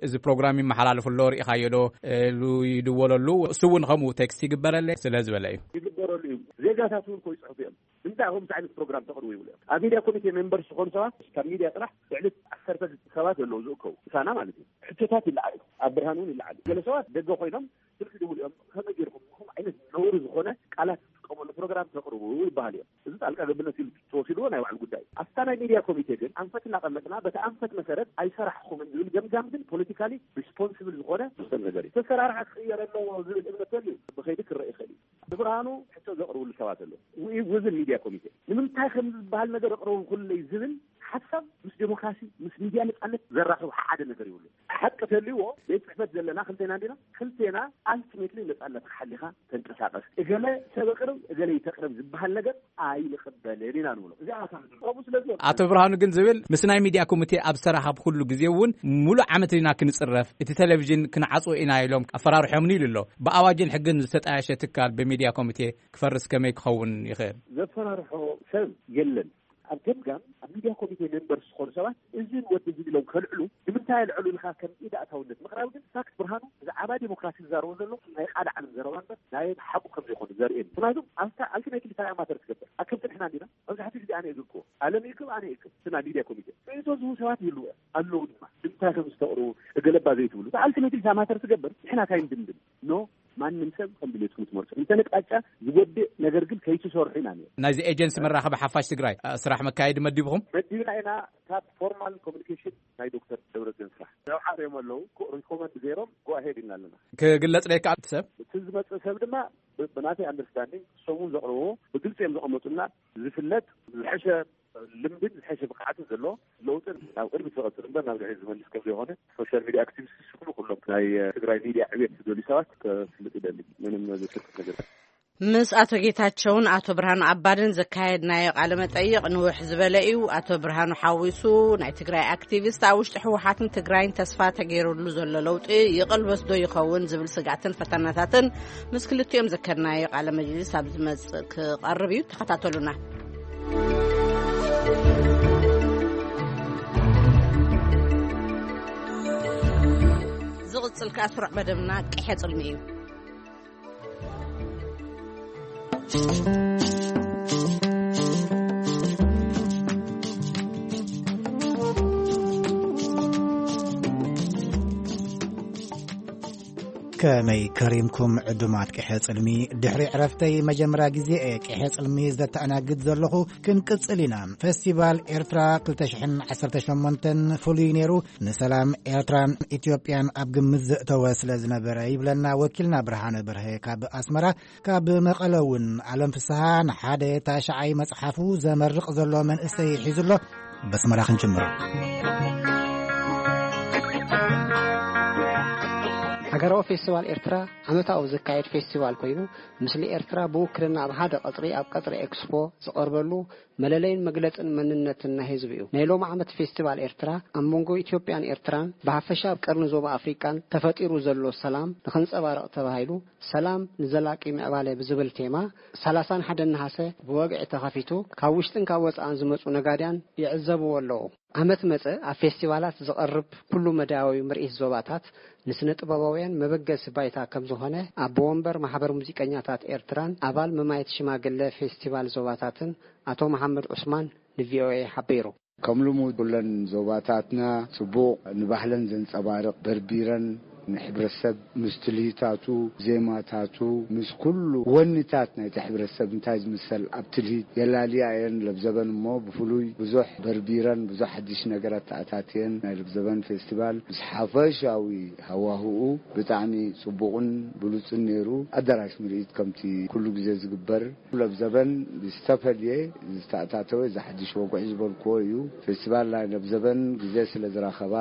እዚ ፕሮግራም ይመሓላለፍ ኣሎ፣ ርኢኻዮ ዶ ኢሉ ይድወለሉ፣ እሱ እውን ከምኡ ቴክስት ይግበረለይ ስለ ዝበለ እዩ። ይግበረሉ እዩ። ዜጋታት እውን እኮ ይጽሕፉ እዮም። እንታይ ከምዚ ዓይነት ፕሮግራም ተቕርቡ ይብሉ እዮም። ኣብ ሚድያ ኮሚቴ ሜምበርስ ዝኾኑ ሰባት ካብ ሚድያ ጥራሕ ልዕሊ ዓሰርተ ሰባት ዘለዉ ዝእከቡ ምሳና ማለት እዩ። ሕቶታት ይለዓሉ፣ ኣብ ብርሃን እውን ይለዓሉ። ገለ ሰባት ደገ ኮይኖም ስልኪ ይድውሉ እዮም። ከመይ ገይርኩም ከምዚ ዓይነት ነውሪ ዝኾነ ቃላት ዝጥቀመሉ ፕሮግራም ተቕርቡ ይበሃል እዮም። እዚ ጣልቃ ገብነት ኢሉ ተወሲድዎ ናይ ባዕሉ ጉዳይ። ኣብታ ናይ ሚድያ ኮሚቴ ግን ኣንፈት እናቐመጥና በቲ ኣንፈት መሰረት ኣይሰራሕኹምን ዝብል ገምጋም ግን ፖለቲካሊ ሪስፖንስብል ዝኾነ ዝውሰን ነገር እዩ። ተሰራርሓ ክቕየር ኣለዎ ዝብል እምነት ተልዩ ብኸይዲ ክረአ ይኽእል እዩ። ብብርሃኑ ሕቶ ዘቕርብሉ ሰባት ኣለዉ። ዊ- ውዝን ሚድያ ኮሚቴ ንምንታይ ከም ዝበሃል ነገር ኣቕርቡ ኩለይ ዝብል ሓሳብ ምስ ዴሞክራሲ ምስ ሚድያ ነፃነት ዘራኽብ ሓደ ነገር ይብሉ። ሓቂ ተልይዎ ቤት ፅሕፈት ዘለና ክልቴና እንዲና፣ ክልቴና ኣልቲሜትሊ ነፃነትካ ሓሊኻ ተንቀሳቀስ። እገለ ሰብ ኣቕርብ እገለ ይተቕርብ ዝበሃል ነገር ኣይንቕበልን ኢና ንብሎ። እዚኣ ኣታ ከምኡ ስለዚ ኣቶ ብርሃኑ ግን ዝብል ምስ ናይ ሚድያ ኮሚቴ ኣብ ዝተራኸብኩሉ ግዜ እውን ሙሉእ ዓመት ኢና ክንፅረፍ፣ እቲ ቴሌቪዥን ክንዓፅዎ ኢና ኢሎም ኣፈራርሖምኒ ኢሉ ኣሎ። ብኣዋጅን ሕግን ዝተጣየሸ ትካል ብሚድያ ኮሚቴ ክፈርስ ከመይ ክኸውን ይኽእል? ዘፈራርሖ ሰብ የለን። ኣብ ገምጋም ኣብ ሚድያ ኮሚቴ ሜምበርስ ዝኾኑ ሰባት እዝን ወዲ እዝን ኢሎም ከልዕሉ ንምንታይ ኣልዕሉ ኢልካ ከም ኢድ ኣእታውነት ምቕራብ ግን ፋክት ብርሃኑ ብዛዕባ ዴሞክራሲ ዝዛረቦ ዘሎ ናይ ቃል ዓለም ዘረባ እምበር ናይ ሓቁ ከም ዘይኮነ ዘርእየኒ። ምክንያቱ ኣብታ ኣልቲሜትሊ እንታይ ማተር ትገብር? ኣከብቲ ንሕና እንዲና መብዛሕትኡ ግዜ ኣነ እየ ዝልክዎ። ኣለም ይእክብ ኣነ እየ እክብ። እቲ ናይ ሚድያ ኮሚቴ ርእይቶ ዝህቡ ሰባት ይህልዉ እዮም ኣለዉ ድማ ንምንታይ ከም ዝተቕርቡ እገለባ ዘይትብሉ? ኣልቲሜትሊ እንታይ ማተር ትገብር? ንሕና እንታይ ንድምድም? ኖ ማንም ሰብ ከም ድሌትኩም ትመርጹ። እንተ ንቅጣጫ ዝጎድእ ነገር ግን ከይትሰርሑ ኢና ንብል። ናይዚ ኤጀንሲ መራኸቢ ሓፋሽ ትግራይ እ፣ ስራሕ መካየዲ መዲብኹም? መዲብና ኢና። ካብ ፎርማል ኮሚኒኬሽን ናይ ዶክተር ደብረጽዮን ስራሕ ዘውዓርዮም ኣለዉ። ኮ- ሪኮመንድ ገይሮም ጎ ኣሄድ ኢና ኣለና። ክግለጽ ደይከኣል እቲ ሰብ? እቲ ዝመጽእ ሰብ ድማ ብ- ብናተይ ኣንደርስታንዲንግ ሰሙን ዘቕርብዎ ብግልፂ እዮም ዘቐመጡና። ዝፍለጥ ዝሐሸ ልምድን ዝሐሸ ብቕዓትን ዘለዎ ለውጥን ናብ ቅድሚት ዝቐፅል እምበር ናብ ድሕሪት ዝመልስ ከም ዘይኮነ ሶሻል ሚድያ ኣክቲቪስት ዝስክሉ ኩሎም ናይ ትግራይ ሚድያ ዕቤት ዝደልዩ ሰባት ከፍልጥ ይደሊ። ምንም ዝስክት ነገር። ምስ ኣቶ ጌታቸውን ኣቶ ብርሃኑ ኣባድን ዘካየድናዮ ቃለ መጠይቕ ንውሕ ዝበለ እዩ። ኣቶ ብርሃኑ ሓዊሱ ናይ ትግራይ ኣክቲቪስት ኣብ ውሽጢ ህወሓትን ትግራይን ተስፋ ተገይሩሉ ዘሎ ለውጢ ይቕልበስ ዶ ይኸውን ዝብል ስጋትን ፈተናታትን ምስ ክልቲኦም ዘካየድናዮ ቃለ መጅሊስ ኣብ ዝመጽእ ክቐርብ እዩ። ተኸታተሉና። ዝቕጽል ከኣ ስሩዕ መደብና ቅሐ ጽልሚ እዩ። ከመይ ከሪምኩም ዕዱማት ቅሐ ጽልሚ? ድሕሪ ዕረፍተይ መጀመርያ ግዜ እየ ቅሐ ጽልሚ ዘተኣናግድ ዘለኹ። ክንቅጽል ኢና። ፈስቲቫል ኤርትራ ክልተ ሽሕን ዓሰርተ ሸሞንተን ፍሉይ ነይሩ። ንሰላም ኤርትራን ኢትዮጵያን ኣብ ግምት ዘእተወ ስለ ዝነበረ ይብለና ወኪልና ብርሃነ በርሀ ካብ ኣስመራ። ካብ መቐለ እውን ኣለም ፍስሃ ንሓደ ታሽዓይ መጽሓፉ ዘመርቕ ዘሎ መንእሰይ ሒዙ ኣሎ። በስመራ ክንጅምር። ሃገራዊ ፌስቲቫል ኤርትራ ዓመታዊ ዝካየድ ፌስቲቫል ኮይኑ፣ ምስሊ ኤርትራ ብውክልና ኣብ ሓደ ቀጽሪ፣ ኣብ ቀጽሪ ኤክስፖ ዝቐርበሉ መለለይን መግለጽን መንነትን ናይ ህዝቢ እዩ። ናይ ሎም ዓመት ፌስቲቫል ኤርትራ ኣብ መንጎ ኢትዮጵያን ኤርትራን ብሓፈሻ ኣብ ቀርኒ ዞባ ኣፍሪቃን ተፈጢሩ ዘሎ ሰላም ንኸንጸባርቕ ተባሂሉ፣ ሰላም ንዘላቂ ምዕባለ ብዝብል ቴማ ሰላሳን ሓደን ነሓሰ ብወግዒ ተኸፊቱ፣ ካብ ውሽጥን ካብ ወጻእን ዝመጹ ነጋድያን ይዕዘብዎ ኣለዉ። ዓመት መጸ ኣብ ፌስቲቫላት ዝቐርብ ኩሉ መዳያዊ ምርኢት ዞባታት ንስነ ጥበባውያን መበገሲ ባይታ ከም ዝኾነ ኣቦ ወንበር ማሕበር ሙዚቀኛታት ኤርትራን ኣባል መማየት ሽማግለ ፌስቲቫል ዞባታትን ኣቶ መሓመድ ዑስማን ንቪኦኤ ሓቢሩ። ከም ልሙድ ኩለን ዞባታትና ጽቡቕ ንባህለን ዘንጸባርቕ በርቢረን ንሕብረተሰብ ምስ ትልሂታቱ፣ ዜማታቱ፣ ምስ ኩሉ ወንታት ናይቲ ሕብረተሰብ እንታይ ዝምሰል ኣብ ትልሂት የላልያ እየን። ለብዘበን እሞ ብፍሉይ ብዙሕ በርቢረን ብዙሕ ሓድሽ ነገር ኣተኣታትየን። ናይ ለብዘበን ፌስቲቫል ምስ ሓፈሻዊ ሃዋህኡ ብጣዕሚ ጽቡቕን ብሉጽን ነይሩ። ኣዳራሽ ምርኢት ከምቲ ኩሉ ግዜ ዝግበር ለብዘበን ብዝተፈልየ ዝተኣታተወ እዚ ሓድሽ ወግዒ ዝበልክዎ እዩ። ፌስቲቫል ናይ ለብዘበን ግዜ ስለ ዝረኸባ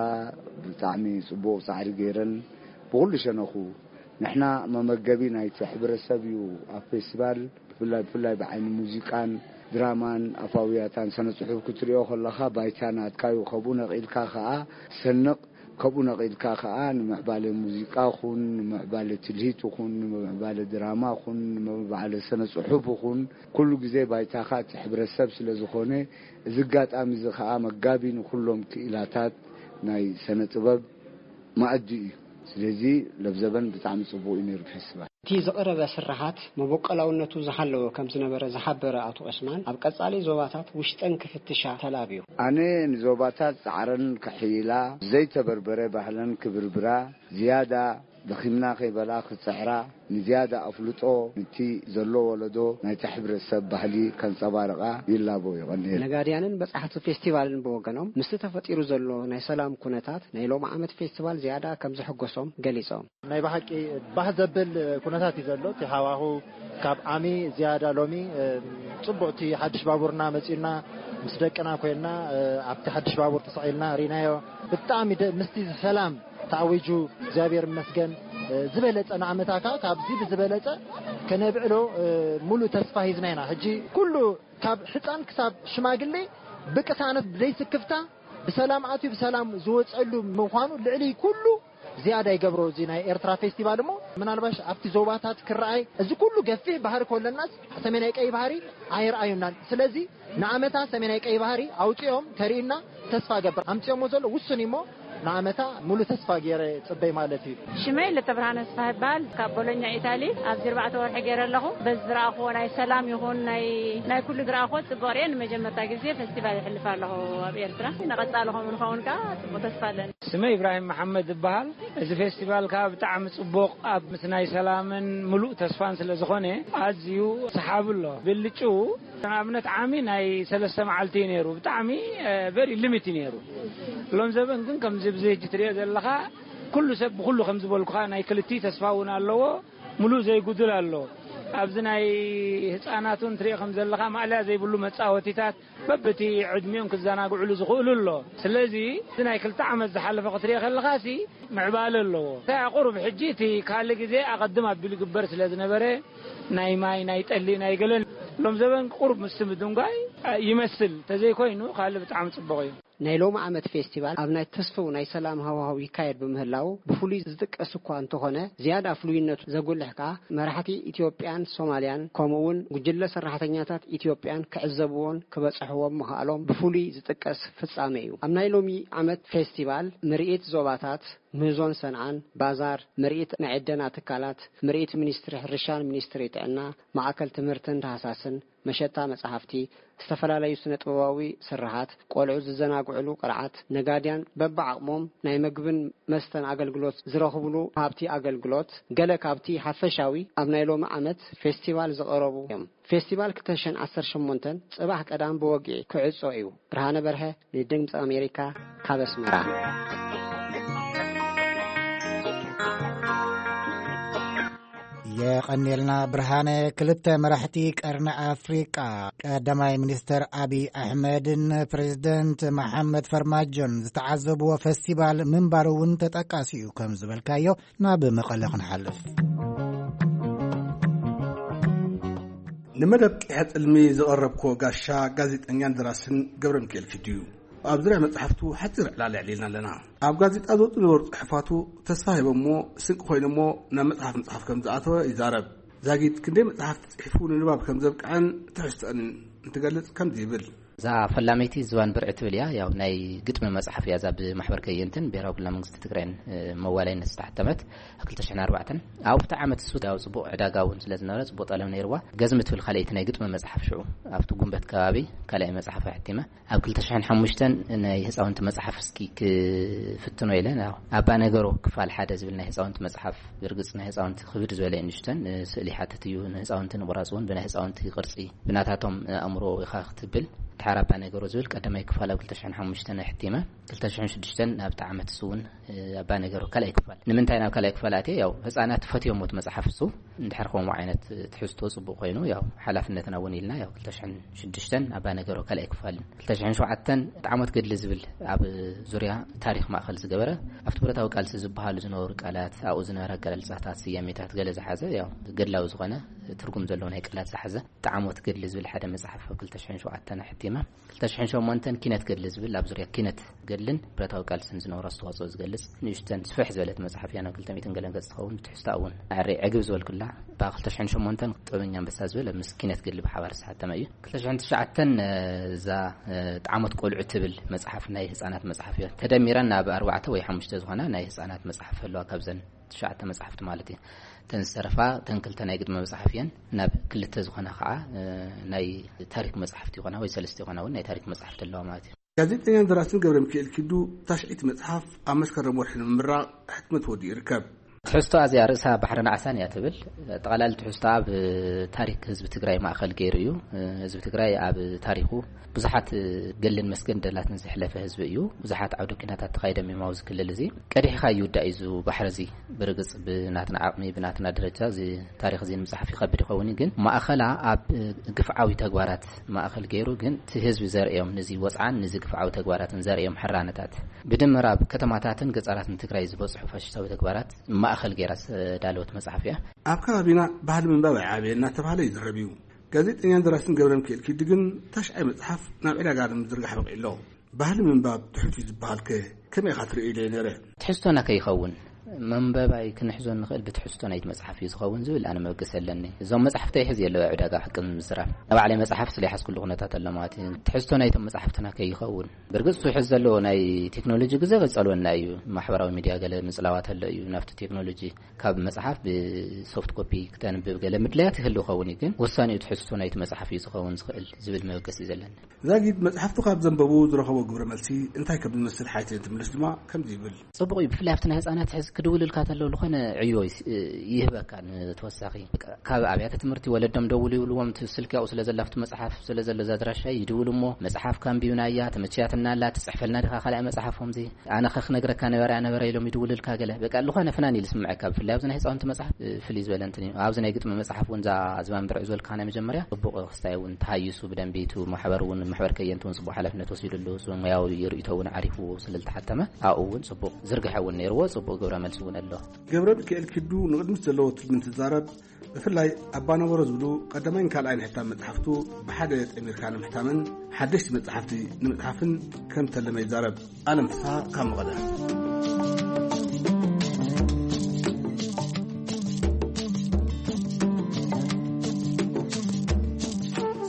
ብጣዕሚ ጽቡቕ ጻዕሪ ገይረን ብኹሉ ሸነኹ። ንሕና መመገቢ ናይቲ ሕብረተሰብ እዩ። ኣብ ፌስቲቫል ብፍላይ ብፍላይ ብዓይኒ ሙዚቃን ድራማን ኣፋውያታን ስነ ጽሑፍ ክትሪኦ ከለኻ ባይታ ናትካ እዩ። ከብኡ ነቒልካ ከኣ ሰንቕ፣ ከብኡ ነቒልካ ከኣ ንምዕባለ ሙዚቃ ኹን ንምዕባለ ትልሂት ኹን ንምዕባለ ድራማ ኹን ንምዕባለ ስነ ጽሑፍ ኹን ኩሉ ግዜ ባይታኻ እቲ ሕብረተሰብ ስለ ዝኾነ፣ እዚ ኣጋጣሚ እዚ ከኣ መጋቢ ንኹሎም ክኢላታት ናይ ስነ ጥበብ መኣዲ እዩ። ስለዚ ለብዘበን ብጣዕሚ ጽቡቕ እዩ ነይሩ ፌስቲቫል። እቲ ዝቐረበ ስርሓት መበቆላውነቱ ዝሓለወ ከም ዝነበረ ዝሓበረ ኣቶ ዑስማን፣ ኣብ ቀጻሊ ዞባታት ውሽጠን ክፍትሻ ተላብዩ። ኣነ ንዞባታት ጻዕረን ከሕይላ፣ ዘይተበርበረ ባህለን ክብርብራ፣ ዝያዳ ደኺምና ከይበላ ክጽዕራ፣ ንዝያዳ ኣፍልጦ ንቲ ዘሎ ወለዶ ናይቲ ሕብረተሰብ ባህሊ ከንጸባርቓ ይላቦ። ይቐንየል። ነጋድያንን በጻሕቲ ፌስቲቫልን ብወገኖም ምስቲ ተፈጢሩ ዘሎ ናይ ሰላም ኩነታት ናይ ሎም ዓመት ፌስቲቫል ዝያዳ ከም ዘሐጎሶም ገሊጾም። ናይ ብሓቂ ባህ ዘብል ኩነታት እዩ ዘሎ። እቲ ሃዋሁ ካብ ዓሚ ዝያዳ ሎሚ፣ እ፣ ጽቡቕ፣ እቲ ሓድሽ ባቡርና መጺኡና ምስ ደቅና ኮይንና፣ እ፣ ኣብቲ ሓድሽ ባቡር ተሰቒልና ርኢናዮ። ብጣዕሚ ደ-፣ ምስቲ ሰላም ተኣዊጁ እግዚኣብሔር ይመስገን፣ እ፣ ዝበለጸ ንዓመታ ከኣ ካብዚ ብዝበለጸ ከነብዕሎ፣ እ፣ ሙሉእ ተስፋ ሂዝና ኢና። ሕጂ ኩሉ ካብ ሕጻን ክሳብ ሽማግሌ ብቅሳነት ብዘይስክፍታ ብሰላም ኣትዩ ብሰላም ዝወጸሉ ምዃኑ ልዕሊ ኩሉ ዝያዳ ይገብሮ። እዚ ናይ ኤርትራ ፌስቲቫል እሞ ምናልባሽ ኣብቲ ዞባታት ክረኣይ፣ እዚ ኩሉ ገፊሕ ባህሪ ከለናስ ሰሜናይ ቀይ ባህሪ ኣይረኣዩናን። ስለዚ ንዓመታ ሰሜናይ ቀይ ባህሪ ኣውጺኦም ከርእዩና ተስፋ ገብር። ኣምጺኦሞ ዘሎ ውሱን እሞ ንዓመታ ሙሉ ተስፋ ገይረ ጽበይ ማለት እዩ። ሽመይ ለተብርሃነ ስፋ ይበሃል። ካብ ቦሎኛ ኢታሊ ኣብዚ ኣርባዕተ ወርሒ ገይረ ኣለኹ። በዚ ዝረኣኽዎ ናይ ሰላም ይኹን ናይ፣ ናይ ኩሉ ዝረኣኽዎ ጽቡቕ ርየ። ንመጀመርታ ግዜ ፌስቲቫል ይሕልፍ ኣለኹ ኣብ ኤርትራ። ንቐጻሊ ከምኡ ንኸውን ከኣ ጽቡቕ ተስፋ ኣለኒ። ስመይ ኢብራሂም መሓመድ ይበሃል። እዚ ፌስቲቫል ከኣ ብጣዕሚ ጽቡቕ፣ ኣብ ምስ ናይ ሰላምን ምሉእ ተስፋን ስለ ዝኾነ ኣዝዩ ሰሓቢ ኣሎ። ብልጭኡ ንኣብነት ዓሚ ናይ ሰለስተ መዓልቲ እዩ ነይሩ። ብጣዕሚ፣ እ፣ ቨሪ ሊሚት እዩ ነይሩ። ሎም ዘበን ግን ከምዚ ብዚ ሕጂ ትሪኦ ዘለኻ ኩሉ ሰብ ብኩሉ ከም ዝበልኩኻ ናይ ክልቲ ተስፋ እውን ኣለዎ። ምሉእ ዘይጉድል ኣሎ። ኣብዚ ናይ ህፃናት እውን ትሪኦ ከም ዘለኻ ማእለያ ዘይብሉ መፃወቲታት በብቲ ዕድሚኦም ክዘናግዕሉ ዝኽእሉ ኣሎ። ስለዚ እቲ ናይ ክልተ ዓመት ዝሓለፈ ክትሪኦ ከለኻሲ ምዕባለ ኣለዎ። እንታይ ቁሩብ ሕጂ እቲ ካልእ ግዜ ኣቐድም ኣቢሉ ይግበር ስለ ዝነበረ ናይ ማይ፣ ናይ ጠሊ፣ ናይ ገለን ሎም ዘበን ቁሩብ ምስቲ ምድንጓይ ይመስል። ተዘይኮይኑ ካልእ ብጣዕሚ ጽቡቕ እዩ። ናይ ሎሚ ዓመት ፌስቲቫል ኣብ ናይ ተስፍው ናይ ሰላም ሃዋህው ይካየድ ብምህላው ብፍሉይ ዝጥቀስ እኳ እንተኾነ፣ ዝያዳ ፍሉይነቱ ዘጉልሕ ከኣ መራሕቲ ኢትዮጵያን ሶማልያን ከምኡ እውን ጉጅለ ሰራሕተኛታት ኢትዮጵያን ክዕዘብዎን ክበጽሕዎን ምኽኣሎም ብፍሉይ ዝጥቀስ ፍጻመ እዩ። ኣብ ናይ ሎሚ ዓመት ፌስቲቫል ምርኢት ዞባታት፣ ምህዞን ሰንዓን፣ ባዛር፣ ምርኢት ናይ ዕደና ትካላት፣ ምርኢት ሚኒስትሪ ሕርሻን ሚኒስትሪ ጥዕና፣ ማእከል ትምህርትን ዳህሳስን፣ መሸጣ መጻሕፍቲ፣ ዝተፈላለዩ ስነ ጥበባዊ ስርሓት፣ ቆልዑ ዝዘናግዑ ውዕሉ ቅርዓት ነጋድያን በብዓቕሞም ናይ ምግብን መስተን ኣገልግሎት ዝረኽብሉ ሃብቲ ኣገልግሎት ገለ ካብቲ ሓፈሻዊ ኣብ ናይ ሎሚ ዓመት ፌስቲቫል ዝቐረቡ እዮም። ፌስቲቫል ክልተ ሽሕን ዓሰርተ ሸሞንተን ጽባሕ ቀዳም ብወግዒ ክዕጾ እዩ። ብርሃነ በርሀ ንድምፂ ኣሜሪካ ካብ ኣስመራ። የቐኔልና ብርሃነ። ክልተ መራሕቲ ቀርኒ ኣፍሪቃ፣ ቀዳማይ ሚኒስተር ኣቢይ ኣሕመድን ፕሬዚደንት መሓመድ ፈርማጆን ዝተዓዘብዎ ፈስቲቫል ምንባሩ እውን ተጠቃሲ እዩ። ከም ዝበልካዮ፣ ናብ መቐለ ክንሓልፍ። ንመደብ ቂሐ ጽልሚ ዘቐረብክዎ ጋሻ ጋዜጠኛን ደራስን ገብረ ሚካኤል ኪዱ እዩ። ኣብ ዙርያ መጽሓፍቱ ሓጺር ዕላል ኣዕሊልና ኣለና። ኣብ ጋዜጣ ዝወጹ ነበሩ ጽሑፋቱ ተስፋ ሂቦሞ፣ ስንቂ ኮይኖሞ ናብ መጽሓፍ ምጽሓፍ ከም ዝኣተወ ይዛረብ። ዛጊት ክንደይ መጽሓፍቲ ጽሒፉ ንንባብ ከም ዘብቅዐን ትሕዝቶአን እንትገልጽ ከምዚ ይብል። እዛ ፈላመይቲ ዝባን ብርዒ ትብል እያ። ያው ናይ ግጥሚ መጽሓፍ እያ። እዛ ብማሕበር ከየንትን ብሄራዊ ክልላዊ መንግስቲ ትግራይን፣ እ፣ መዋለይነት ዝተሓተመት ኣብ ክልተ ሽሕን ኣርባዕተን። ኣብቲ ዓመት እሱ ያው ጽቡቕ ዕዳጋ እውን ስለ ዝነበረ፣ ጽቡቕ ጠለብ ነይርዋ። ገዝሚ ትብል ካልኣይቲ ናይ ግጥሚ መጽሓፍ ሽዑ ኣብቲ ጉንበት ከባቢ ካልኣይ መጽሓፍ ኣሕቲመ። ኣብ ክልተ ሽሕን ሓሙሽተን ናይ ህፃውንቲ መጽሓፍ እስኪ ክፍትኖ ኢለ፣ ያው ኣባ ነገሮ ክፋል ሓደ ዝብል ናይ ህፃውንቲ መጽሓፍ፣ ብርግጽ ናይ ህፃውንቲ ክብድ ዝበለ እዩ፣ ንሽተን ስእሊ ሓትት እዩ፣ ንህፃውንቲ ንቑራጽ እውን ብናይ ህፃውንቲ ቅርጺ ብናታቶም ኣእምሮ ኢኻ ክትብል፣ ድሓር ኣባ ነገሮ ዝብል ቀዳማይ ክፋል ኣብ ክልተ ሽሕን ሓሙሽተን ኣሕቲመ። ክልተ ሽሕን ሽዱሽተን ናብቲ ዓመት እሱ እውን ኣባ ነገሮ ካልኣይ ክፋል። ንምንታይ ናብ ካልኣይ ክፋል ኣትየ? ያው ህፃናት ፈትዮሞ እቲ መጽሓፍ እሱ። እንድሕር ከምኡ ዓይነት ትሕዝቶ ጽቡቕ ኮይኑ፣ ያው ሓላፍነትና እውን ኢልና፣ ያው ክልተ ሽሕን ሽዱሽተን ኣባ ነገሮ ካልኣይ ክፋልን ክልተ ሽሕን ሸውዓተን ጣዕሞት ገድሊ ዝብል ኣብ ዙርያ ታሪኽ ማእከል ዝገበረ፣ ኣብቲ ብረታዊ ቃልሲ ዝበሃሉ ዝነበሩ ቃላት፣ ኣብኡ ዝነበረ ኣገላልጻታት፣ ስያሜታት ገለ ዝሓዘ፣ ያው ገድላዊ ዝኾነ ትርጉም ዘለዎ ናይ ቃላት ዝሓዘ ጣዕሞት ገድሊ ዝብል ሓደ መጽሓፍ ኣብ ክልተ ሽሕን ሸውዓተን ኣሕቲመ። ክልተ ሽሕን ሸሞንተን ኪነት ገድሊ ዝብል ኣብ ዙርያ ኪነት ገድልን ብረታዊ ቃልስን ዝነበሮ ኣስተዋጽኦ ዝገልጽ ንእሽተን ስፍሕ ዝበለት መጽሓፍ እያ። ናብ ክልተ ሚእትን ገለን ገጽ ትኸውን። ብትሕዝታ እውን ኣዕሪ ዕግብ ዝበልኩላ። ብ ክልተ ሽሕን ሸሞንተን ጥበበኛ ኣንበሳ ዝብል ምስ ኪነት ገድሊ ብሓባር ዝተሓተመ እዩ። ክልተ ሽሕን ትሽዓተን፣ እ፣ እዛ፣ እ፣ ጣዕሞት ቆልዑ ትብል መጽሓፍ ናይ ህጻናት መጽሓፍ እያ። ተደሚረን ናብ ኣርባዕተ ወይ ሓሙሽተ ዝኾና ናይ ህጻናት መጽሓፍ ኣለዋ። ካብዘን ትሽዓተ መጽሓፍቲ ማለት እዩ። እተን ዝተረፋ፣ እተን ክልተ ናይ ግጥሚ መጽሓፍ እየን። ናብ ክልተ ዝኾና ከዓ፣ እ፣ ናይ ታሪክ መጽሓፍቲ ይኾና ወይ ሰለስተ ይኾና እውን ናይ ታሪክ መጽሓፍቲ ኣለዋ ማለት እዩ። ጋዜጠኛን ደራስን ገብረ ሚካኤል ኪዱ ታሽዒት መጽሓፍ ኣብ መስከረም ወርሒ ንምምራቕ ሕትመት ወዲኡ ይርከብ። ትሕዝቶ ኣዚኣ ርእሳ ባሕርን ዓሳን እያ ትብል። ጠቕላሊ ትሕዝቶ ኣብ ታሪክ ህዝቢ ትግራይ ማእከል ገይሩ እዩ። ህዝቢ ትግራይ ኣብ ታሪኹ ብዙሓት ገልን መስገን ደላትን ዘሕለፈ ህዝቢ እዩ። ብዙሓት ዓውደ ኲናታት ተኻይዶም እዮም ኣብዚ ክልል እዚ። ቀዲሕካ ይውዳእ እዩ እዚ ባሕሪ እዚ። ብርግጽ ብናትና ዓቕሚ፣ ብናትና ደረጃ እዚ ታሪኽ እዚ ንምጽሓፍ ይኸብድ ይኸውን እዩ። ግን ማእኸላ ኣብ ግፍዓዊ ተግባራት ማእኸል ገይሩ፣ ግን እቲ ህዝቢ ዘርእዮም፣ ንዚ ወጽዓን ንዚ ግፍዓዊ ተግባራትን ዘርእዮም ሕራነታት፣ ብድምር ኣብ ከተማታትን ገጻራትን ትግራይ ዝበጽሑ ፋሽስታዊ ተግባራት ማእኸል ገይራ ዝተዳለወት መጽሓፍ እያ። ኣብ ከባቢና ባህሊ ምንባብ ኣይዓበየ እናተባህለ ይዝረብ እዩ። ጋዜጠኛን ደራስን ገብረ ሚካኤል ኪዲ ግን ታሽዓይ መጽሓፍ ናብ ዕዳጋ ንምዝርጋሕ በቒዑ ኣሎ። ባህሊ ምንባብ ትሑት እዩ ዝበሃል ከ ከመይ ኢኻ ትርእዮ ኢለዮ ነይረ። ትሕዝቶና ከይኸውን፣ መንበባይ ክንሕዞ ንኽእል ብትሕዝቶ ናይቲ መጽሓፍ እዩ ዝኸውን ዝብል ኣነ መበገሲ ኣለኒ። እዞም መጽሓፍቲ ይሕዝ የለዎ ዕዳጋ ሓቂ ንምዝራብ። ንባዕለይ መጽሓፍ ስለ ይሓዝኩሉ ኩነታት ኣሎ ማለት እዩ። ትሕዝቶ ናይቶም መጽሓፍትና ከይኸውን። ብርግጽ እሱ ሕዚ ዘለዎ ናይ ቴክኖሎጂ ግዜ ከይጸልወና እዩ። ማሕበራዊ ሚድያ ገለ ምጽላዋት ኣሎ እዩ። ናብቲ ቴክኖሎጂ ካብ መጽሓፍ ብሶፍት ኮፒ ክተንብብ ገለ ምድላያት ይህሉ ይኸውን እዩ። ግን ወሳኒኡ ትሕዝቶ ናይቲ መጽሓፍ እዩ ዝኸውን ዝኽእል ዝብል መበገሲ እዩ ዘለኒ። ዛጊድ መጽሓፍቱ ካብ ዘንበቡ ዝረኸቦ ግብረ መልሲ እንታይ ከም ዝመስል ሓይተ እንትምልስ ድማ ከምዚ ይብል። ጽቡቕ እዩ። ብፍላይ ኣብቲ ናይ ህጻናት ሕዚ ክድውልልካ ተሎ ዝኾነ ዕዮ ይስ-፣ ይህበካ። ንተወሳኺ ካብ ኣብያተ ትምህርቲ ወለዶም ደውሉ ይብልዎም፣ እቲ ስልኪ ኣብኡ ስለ ዘላ፣ ኣብቲ መጽሓፍ ስለ ዘሎ፣ እዛ ኣድራሻ ይድውሉ እሞ፣ "መጽሓፍ ካንቢብና እያ፣ ተመችያትና ኣላ፣ ትጽሕፈልና ዲኻ ካልኣይ መጽሓፎም እዚ?" ኣነ ከ ክነግረካ ነበረ፣ ኣነበረ ኢሎም ይድውልልካ ገለ። በቃ፣ ዝኾነ ፍናን ኢሉ ስምዐካ። ብፍላይ ኣብዚ ናይ ህፃውንቲ መጽሓፍ፣ እ፣ ፍልይ ዝበለ እንትን እዩ። ኣብዚ ናይ ግጥሚ መጽሓፍ እውን እዛ ዝባን ብርዒ ዝበልካ ናይ መጀመርያ ጽቡቕ ክስታይ እውን ተሃይሱ ብደንቢ፣ እቲ ማሕበር እውን፣ ማሕበር ከየንቲ እውን ጽቡቕ ሓላፍነት ወሲዱሉ፣ እዚ ሙያዊ ርእይቶ እውን ዓሪፉ ስለ ዝተሓተመ፣ ኣብኡ እውን ጽቡቕ ዝርግሐ እውን ነይርዎ፣ ጽቡቕ ግብረ መልሲ እውን ኣሎ። ገብረ ሚካኤል ኪዱ ንቕድሚት ዘለዎ ትልሚ እንትዛረብ፣ ብፍላይ ኣባ ነበሮ ዝብሉ ቀዳማይን ካልኣይን ሕታም መጽሓፍቱ ብሓደ ጠሚርካ ንምሕታምን ሓደሽቲ መጽሓፍቲ ንምጽሓፍን ከም ተለመ ይዛረብ። ኣለም ፍስሃ ካብ መቐለ።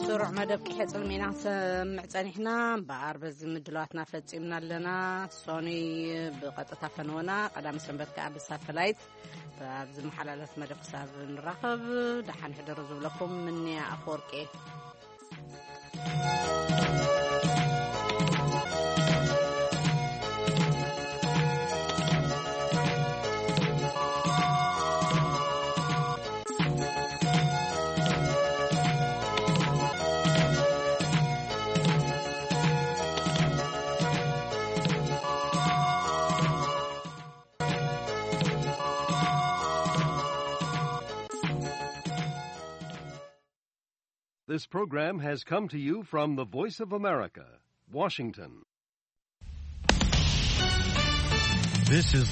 ስሩዕ መደብ ቂሐ ጽልሚ ኢና ክንሰምዕ ጸኒሕና። እምበኣር በዚ ምድላዋትና ፈጺምና ኣለና። ሶኒ ብቐጥታ ፈነወና፣ ቀዳሚ ሰንበት ከኣ ብሳተላይት። ኣብ ዝመሓላለፍ መደብ ክሳብ ንራኸብ፣ ደሓን ሕደሩ ዝብለኩም ምንያ ኣፈወርቂ። This program has come to you from the Voice of America, Washington. This is